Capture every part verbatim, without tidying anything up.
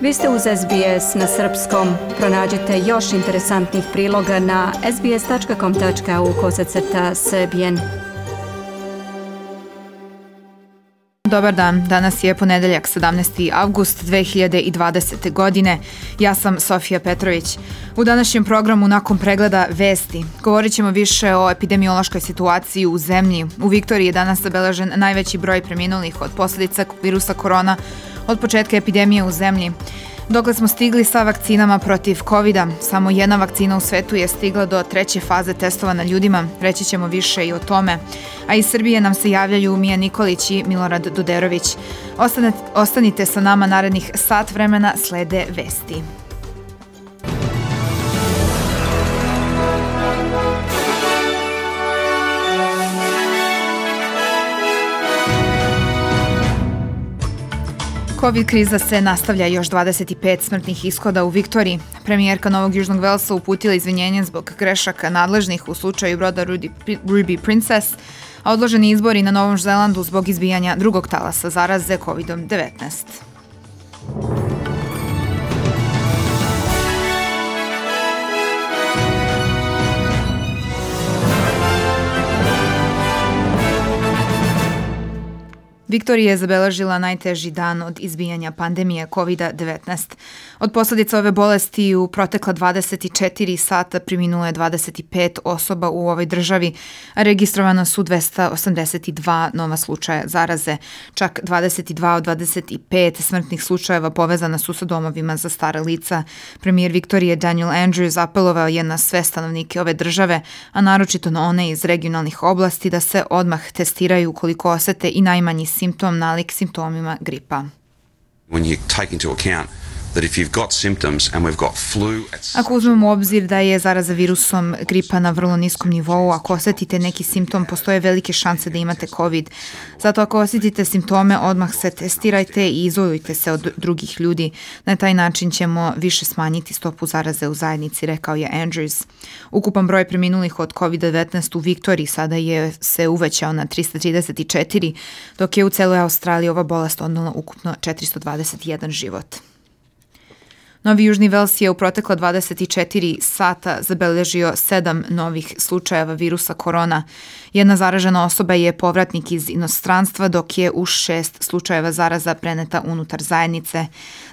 Vi ste uz S B S na srpskom. Pronađite još interesantnih priloga na sbs.com.au kosacrta srbijen. Dobar dan, danas je ponedeljak sedamnaesti avgust dve hiljade dvadesete. godine. Ja sam Sofija Petrović. U današnjem programu nakon pregleda vesti govorit ćemo više o epidemiološkoj situaciji u zemlji. U Viktoriji je danas zabeležen najveći broj preminulih od posljedica virusa korona od početka epidemije u zemlji. Dokle smo stigli sa vakcinama protiv kovida, samo jedna vakcina u svetu je stigla do treće faze testova na ljudima, reći ćemo više i o tome. A iz Srbije nam se javljaju Mija Nikolić i Milorad Duderović. Ostanite, ostanite sa nama narednih sat vremena, slede vesti. Covid kriza se nastavlja, još dvadeset pet smrtnih ishoda u Viktoriji. Premijerka Novog Južnog Velsa uputila izvinjenje zbog grešaka nadležnih u slučaju broda Ruby Princess, a odloženi izbori na Novom Zelandu zbog izbijanja drugog talasa zaraze kovidom devetnaest. Viktorija je zabeležila najteži dan od izbijanja pandemije kovida devetnaest. Od posljedica ove bolesti u protekla dvadeset četiri sata preminulo je dvadeset pet osoba u ovoj državi, a registrovano su dvesta osamdeset dva nova slučaja zaraze. Čak dvadeset dva od dvadeset pet smrtnih slučajeva povezana su sa domovima za stara lica. Premijer Viktorije Daniel Andrews apelovao je na sve stanovnike ove države, a naročito na one iz regionalnih oblasti, da se odmah testiraju ukoliko osete i najmanji simptom nalik simptomima gripa. When you take into account that if you've got symptoms and we've got flu... Ako uzmemo u obzir da je zaraza virusom gripa na vrlo niskom nivou, ako osjetite neki simptom, postoje velike šanse da imate COVID. Zato ako osjetite simptome, odmah se testirajte i izolujte se od drugih ljudi. Na taj način ćemo više smanjiti stopu zaraze u zajednici, rekao je Andrews. Ukupan broj preminulih od kovid devetnaest u Viktoriji sada je se uvećao na trista trideset četiri, dok je u celoj Australiji ova bolest odnela ukupno četiristo dvadeset jedan život. Novi Južni Vels je u protekla dvadeset četiri sata zabeležio sedam novih slučajeva virusa korona. Jedna zaražena osoba je povratnik iz inostranstva, dok je u šest slučajeva zaraza preneta unutar zajednice.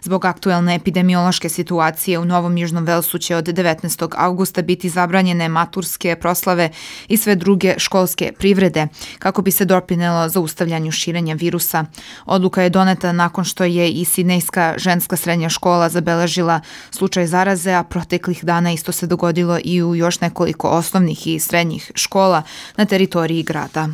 Zbog aktuelne epidemiološke situacije u Novom Južnom Velsu će od devetnaestog avgusta biti zabranjene maturske proslave i sve druge školske privrede, kako bi se doprinelo zaustavljanju širenja virusa. Odluka je doneta nakon što je i Sidnejska ženska srednja škola zabeležila slučaj zaraze, a proteklih dana isto se dogodilo i u još nekoliko osnovnih i srednjih škola na teritoriji grada.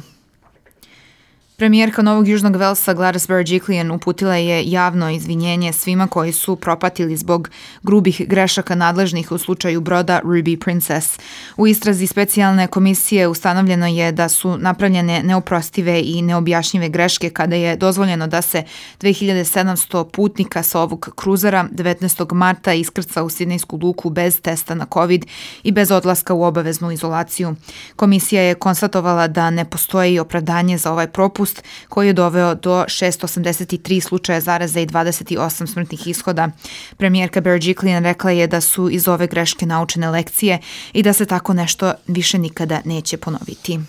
Premijerka Novog Južnog Velsa Gladys Berejiklian uputila je javno izvinjenje svima koji su propatili zbog grubih grešaka nadležnih u slučaju broda Ruby Princess. U istrazi specijalne komisije ustanovljeno je da su napravljene neoprostive i neobjašnjive greške kada je dozvoljeno da se dve hiljade sedamsto putnika sa ovog kruzera devetnaestog marta iskrca u Sidnejsku luku bez testa na COVID i bez odlaska u obaveznu izolaciju. Komisija je konstatovala da ne postoji opravdanje za ovaj propust, koji je doveo do šessto osamdeset tri slučaja zaraze i dvadeset osam smrtnih ishoda. Premijerka Berejiklian rekla je da su iz ove greške naučene lekcije i da se tako nešto više nikada neće ponoviti.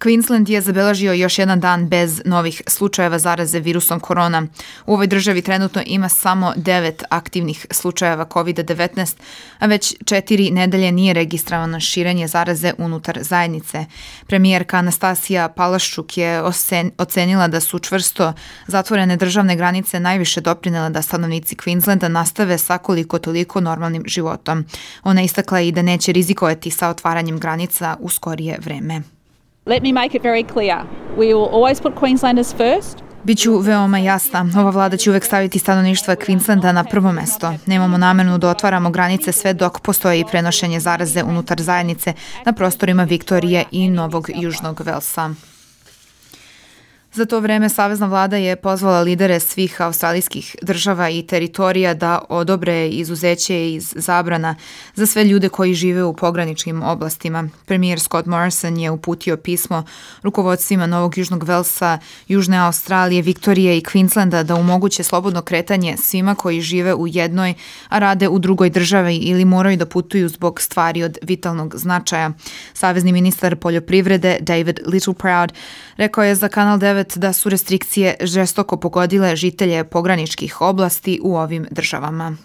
Queensland je zabeležio još jedan dan bez novih slučajeva zaraze virusom korona. U ovoj državi trenutno ima samo devet aktivnih slučajeva kovid devetnaest, a već četiri nedelje nije registrovano širenje zaraze unutar zajednice. Premijerka Anastasija Palaščuk je ocenila da su čvrsto zatvorene državne granice najviše doprinele da stanovnici Queenslanda nastave sa koliko toliko normalnim životom. Ona istakla i da neće rizikovati sa otvaranjem granica u skorije vreme. Let me make it very clear. We will always put Queenslanders first. Biću veoma jasna. Ova vlada će uvek staviti stanovništva Queenslanda na prvo mesto. Nemamo namernu da otvaramo granice sve dok postoji prenošenje zaraze unutar zajednice na prostorima Viktorije i Novog Južnog Velsa. Za to vreme savezna vlada je pozvala lidere svih australijskih država i teritorija da odobre izuzeće iz zabrana za sve ljude koji žive u pograničnim oblastima. Premijer Scott Morrison je uputio pismo rukovodstvima Novog Južnog Velsa, Južne Australije, Viktorije i Queenslanda da omoguće slobodno kretanje svima koji žive u jednoj, a rade u drugoj državi ili moraju da putuju zbog stvari od vitalnog značaja. Savezni ministar poljoprivrede David Littleproud rekao je za Kanal devet da su restrikcije žestoko pogodile žitelje pograničkih oblasti u ovim državama.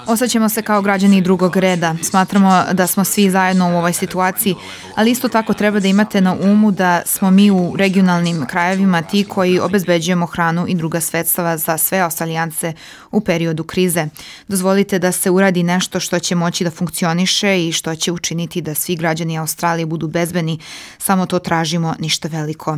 Osjećamo se kao građani drugog reda. Smatramo da smo svi zajedno u ovoj situaciji, ali isto tako treba da imate na umu da smo mi u regionalnim krajevima ti koji obezbeđujemo hranu i druga sredstva za sve Australijance u periodu krize. Dozvolite da se uradi nešto što će moći da funkcioniše i što će učiniti da svi građani Australije budu bezbedni. Samo to tražimo, ništa veliko.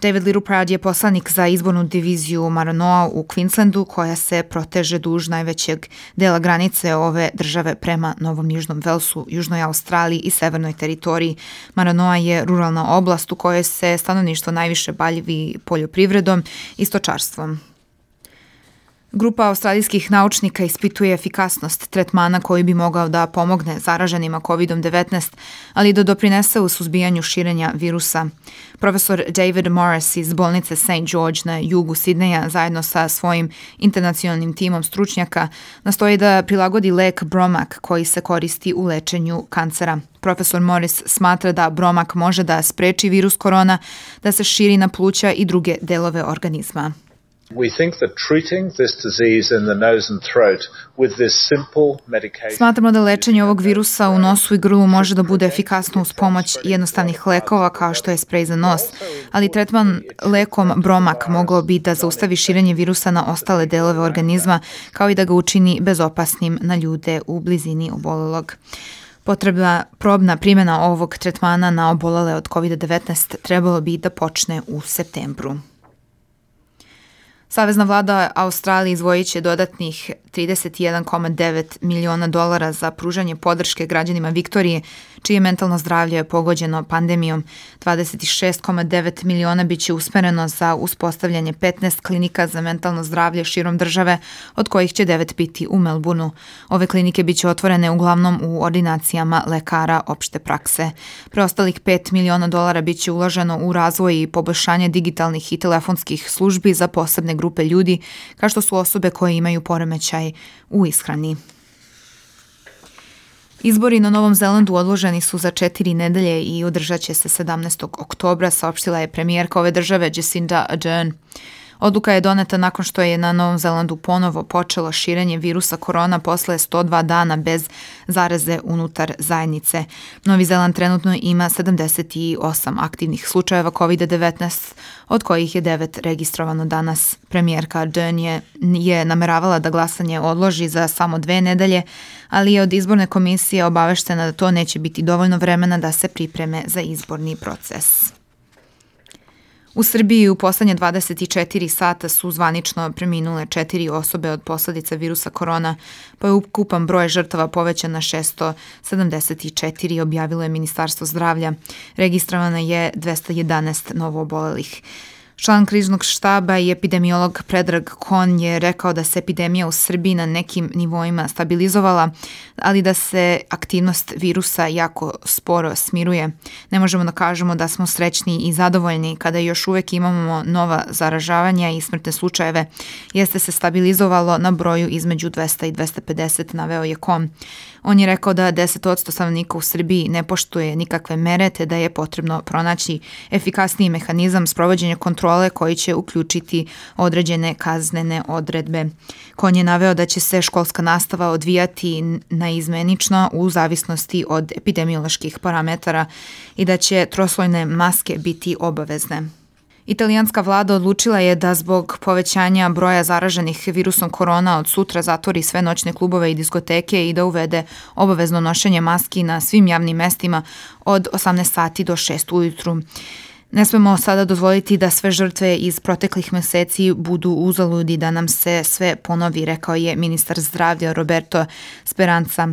David Littleproud je poslanik za izbornu diviziju Maranoa u Queenslandu koja se proteže duž najvećeg dela granice ove države prema Novom Južnom Velsu, Južnoj Australiji i Severnoj teritoriji. Maranoa je ruralna oblast u kojoj se stanovništvo najviše bavi poljoprivredom i stočarstvom. Grupa australijskih naučnika ispituje efikasnost tretmana koji bi mogao da pomogne zaraženima kovid devetnaest, ali da doprinese u suzbijanju širenja virusa. Profesor David Morris iz bolnice Saint George na jugu Sidneja zajedno sa svojim internacionalnim timom stručnjaka nastoji da prilagodi lek Bromac koji se koristi u lečenju kancera. Profesor Morris smatra da Bromac može da spreči virus korona da se širi na pluća i druge delove organizma. We think that treating this disease in the nose and throat with this simple medication. Smatramo da lečenje ovog virusa u nosu i grlu može da bude efikasno uz pomoć jednostavnih lekova kao što je sprej za nos, ali tretman lekom Bromac mogao bi da zaustavi širenje virusa na ostale delove organizma kao i da ga učini bezopasnim na ljude u blizini obolelog. Potrebna probna primjena ovog tretmana na obolele od kovid devetnaest trebalo bi da počne u septembru. Savezna vlada Australije izdvojit će dodatnih trideset jedan zarez devet miliona dolara za pružanje podrške građanima Viktorije, čije mentalno zdravlje je pogođeno pandemijom. dvadeset šest zarez devet miliona bit će usmereno za uspostavljanje petnaest klinika za mentalno zdravlje širom države, od kojih će devet biti u Melbourneu. Ove klinike bit će otvorene uglavnom u ordinacijama lekara opšte prakse. Preostalih pet miliona dolara bit će uloženo u razvoj i poboljšanje digitalnih i telefonskih službi za posebne grupe ljudi, kao što su osobe koje imaju poremećaj u ishrani. Izbori na Novom Zelandu odloženi su za četiri nedelje i održat će se sedamnaestog oktobra, saopštila je premijerka ove države Jacinda Ardern. Odluka je doneta nakon što je na Novom Zelandu ponovo počelo širenje virusa korona posle sto dva dana bez zaraze unutar zajednice. Novi Zeland trenutno ima sedamdeset osam aktivnih slučajeva kovid devetnaest, od kojih je devet registrovano danas. Premijerka Ardern je, je nameravala da glasanje odloži za samo dve nedelje, ali je od izborne komisije obaveštena da to neće biti dovoljno vremena da se pripreme za izborni proces. U Srbiji u poslednje dvadeset četiri sata su zvanično preminule četiri osobe od posledica virusa korona, pa je ukupan broj žrtava povećan na šesto sedamdeset četiri, objavilo je Ministarstvo zdravlja. Registrovano je dvesta jedanaest novoobolelih. Član kriznog štaba i epidemiolog Predrag Kon je rekao da se epidemija u Srbiji na nekim nivoima stabilizovala, ali da se aktivnost virusa jako sporo smiruje. Ne možemo da kažemo da smo srećni i zadovoljni kada još uvek imamo nova zaražavanja i smrtne slučajeve. Jeste se stabilizovalo na broju između dvesta i dvesta pedeset, naveo je Kon. On je rekao da deset posto stanovnika u Srbiji ne poštuje nikakve mere, te da je potrebno pronaći efikasniji mehanizam sprovođenja kontrole koji će uključiti određene kaznene odredbe. Kon je naveo da će se školska nastava odvijati naizmenično u zavisnosti od epidemioloških parametara i da će troslojne maske biti obavezne. Italijanska vlada odlučila je da zbog povećanja broja zaraženih virusom korona od sutra zatvori sve noćne klubove i diskoteke i da uvede obavezno nošenje maski na svim javnim mestima od osamnaest sati do šest ujutru. Ne smemo sada dozvoliti da sve žrtve iz proteklih meseci budu uzaludi, da nam se sve ponovi, rekao je ministar zdravlja Roberto Speranza.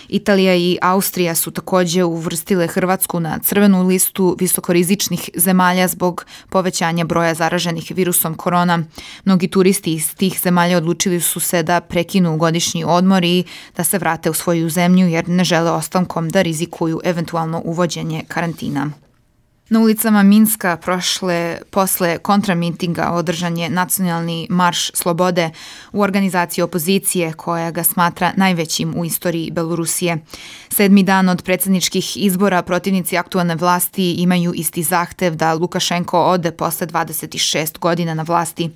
Italija i Austrija su takođe uvrstile Hrvatsku na crvenu listu visokorizičnih zemalja zbog povećanja broja zaraženih virusom korona. Mnogi turisti iz tih zemalja odlučili su se da prekinu godišnji odmor i da se vrate u svoju zemlju jer ne žele ostankom da rizikuju eventualno uvođenje karantina. Na ulicama Minska prošle posle kontramitinga održan je nacionalni marš slobode u organizaciji opozicije koja ga smatra najvećim u istoriji Belorusije. Sedmi dan od predsjedničkih izbora protivnici aktualne vlasti imaju isti zahtev da Lukašenko ode posle dvadeset šest godina na vlasti.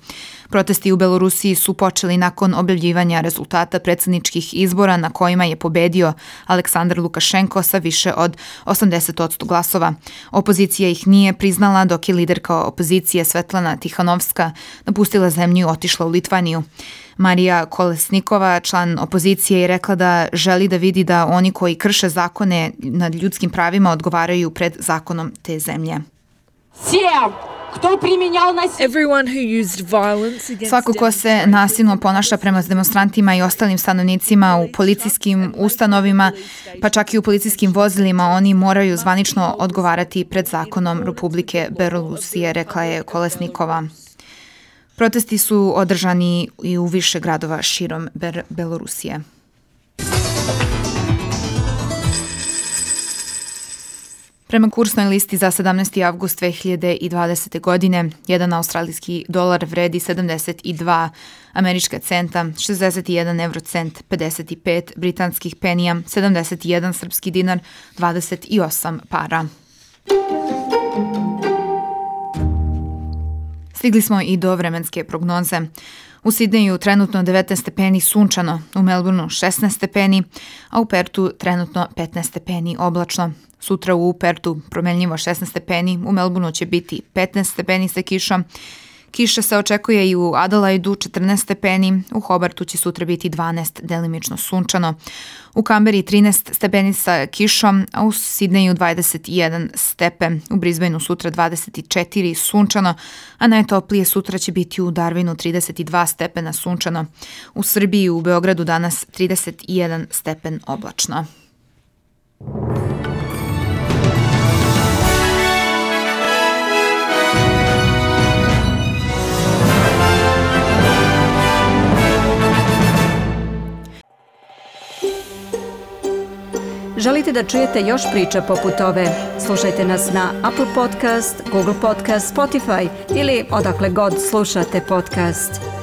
Protesti u Belorusiji su počeli nakon objavljivanja rezultata predsjedničkih izbora na kojima je pobedio Aleksandar Lukašenko sa više od osamdeset posto glasova. Opozicija ih nije priznala dok je liderka opozicije Svetlana Tihanovska napustila zemlju i otišla u Litvaniju. Marija Kolesnikova, član opozicije, je rekla da želi da vidi da oni koji krše zakone nad ljudskim pravima odgovaraju pred zakonom te zemlje. Svako ko se nasilno ponaša prema demonstrantima i ostalim stanovnicima u policijskim ustanovima, pa čak i u policijskim vozilima, oni moraju zvanično odgovarati pred zakonom Republike Belorusije, rekla je Kolesnikova. Protesti su održani i u više gradova širom Belorusije. Prema kursnoj listi za sedamnaesti avgust dve hiljade dvadesete. godine, jedan australijski dolar vredi sedamdeset dva američka centa, šezdeset jedan evrocent, pedeset pet britanskih penija, sedamdeset jedan srpski dinar, dvadeset osam para. Stigli smo i do vremenske prognoze. U Sidneju trenutno devetnaest stepeni sunčano, u Melbourneu šesnaest stepeni, a u Pertu trenutno petnaest stepeni oblačno. Sutra u Pertu promenljivo šesnaest stepeni, u Melbourneu će biti petnaest stepeni sa kišom. Kiša se očekuje i u Adelaidu četrnaest stepeni, u Hobartu će sutra biti dvanaest, delimično sunčano. U Kamberi trinaest stepeni sa kišom, a u Sidneju dvadeset jedan stepen. U Brisbaneu sutra dvadeset četiri sunčano, a najtoplije sutra će biti u Darwinu trideset dva stepena sunčano. U Srbiji i u Beogradu danas trideset jedan stepen oblačno. Želite da čujete još priča poput ove? Slušajte nas na Apple Podcast, Google Podcast, Spotify ili odakle god slušate podcast.